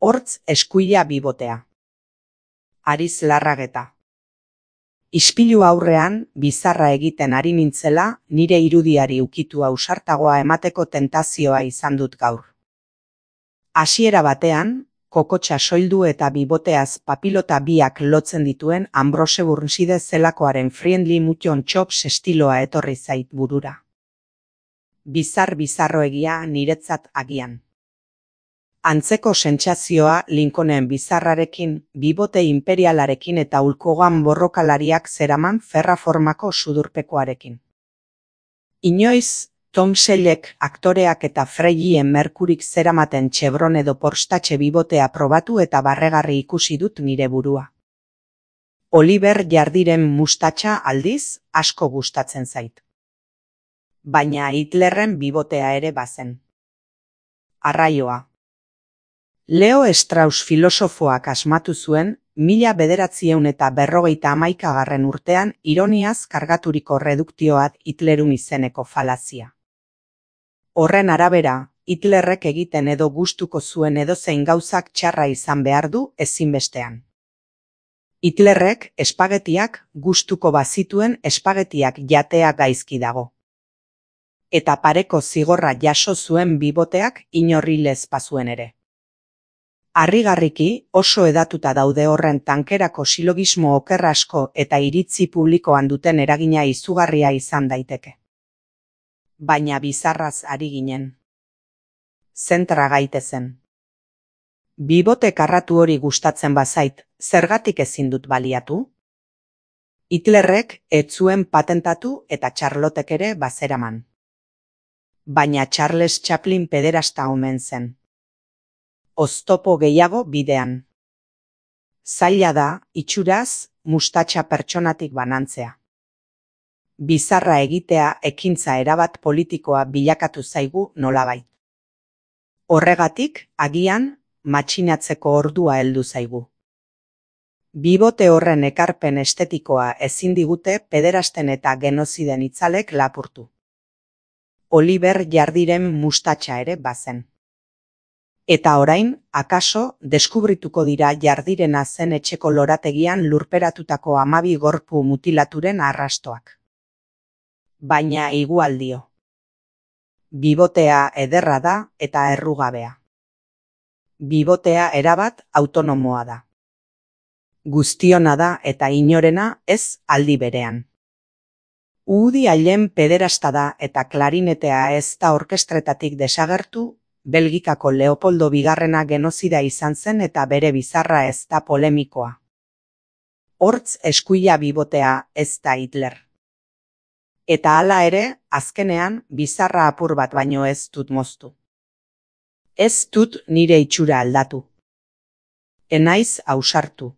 Hortz eskuila bibotea. Ariz Larrageta. Ispilu aurrean, bizarra egiten ari nintzela, nire irudiari ukitu ausartagoa emateko tentazioa izan dut gaur. Hasiera batean, kokotxa soildu eta biboteaz papilota biak lotzen dituen Ambrose Burnside zelakoaren Friendly Mutton Chops estiloa etorri zait burura. Bizarroegia niretzat agian. Antzeko sentsazioa Lincolnen bizarrarekin, bibote imperialarekin eta ulkogan borrokalariak zeraman ferra formako sudurpekoarekin. Inoiz, Tom Selleck aktoreak eta Freddie Mercuryk zeramaten Chevron edo Porsche bibotea probatu eta barregarri ikusi dut nire burua. Oliver Jardiren mustatxa aldiz asko gustatzen zait. Baina Hitlerren bibotea ere bazen. Arraioa. Leo Strauss filosofoak asmatu zuen, 1951 urtean ironiaz kargaturiko reduktioat Hitlerun izeneko falazia. Horren arabera, Hitlerrek egiten edo gustuko zuen edozein gauzak txarra izan behar du ezinbestean. Hitlerrek espagetiak gustuko bazituen espagetiak jatea gaizki dago. Eta pareko zigorra jaso zuen biboteak inorri lezpazuen ere. Harrigarriki oso edatuta daude horren tankerako silogismo oker asko eta iritzi publikoan duten eragina izugarria izan daiteke. Baina bizarraz ari ginen. Zentra gaitezen. Bibote karratu hori gustatzen bazait, zergatik ezin dut baliatu? Hitlerrek ez zuen patentatu eta Charlotek ere bazeraman. Baina Charles Chaplin pederasta omen zen. Oztopo gehiago bidean. Zaila da, itxuraz, mustatxa pertsonatik banantzea. Bizarra egitea ekintza erabat politikoa bilakatu zaigu nolabait. Horregatik, agian, matxinatzeko ordua heldu zaigu. Bibote horren ekarpen estetikoa ezin digute pederasten eta genoziden itzalek lapurtu. Oliver Jardiren mustatxa ere bazen. Eta orain, akaso, deskubrituko dira Jardirena zen etxeko lorategian lurperatutako 12 gorpu mutilaturen arrastoak. Baina igual dio. Bibotea ederra da eta errugabea. Bibotea erabat autonomoa da. Guztiona da eta inorena ez aldi berean. Woody Allen pederasta da eta klarinetea ez da orkestretatik desagertu, Belgikako Leopoldo Bigarrena genozida izan zen eta bere bizarra ez da polemikoa. Hortz eskuila bibotea ez da Hitler. Eta hala ere, azkenean, bizarra apur bat baino ez dut moztu. Ez dut nire itxura aldatu. Enaiz ausartu.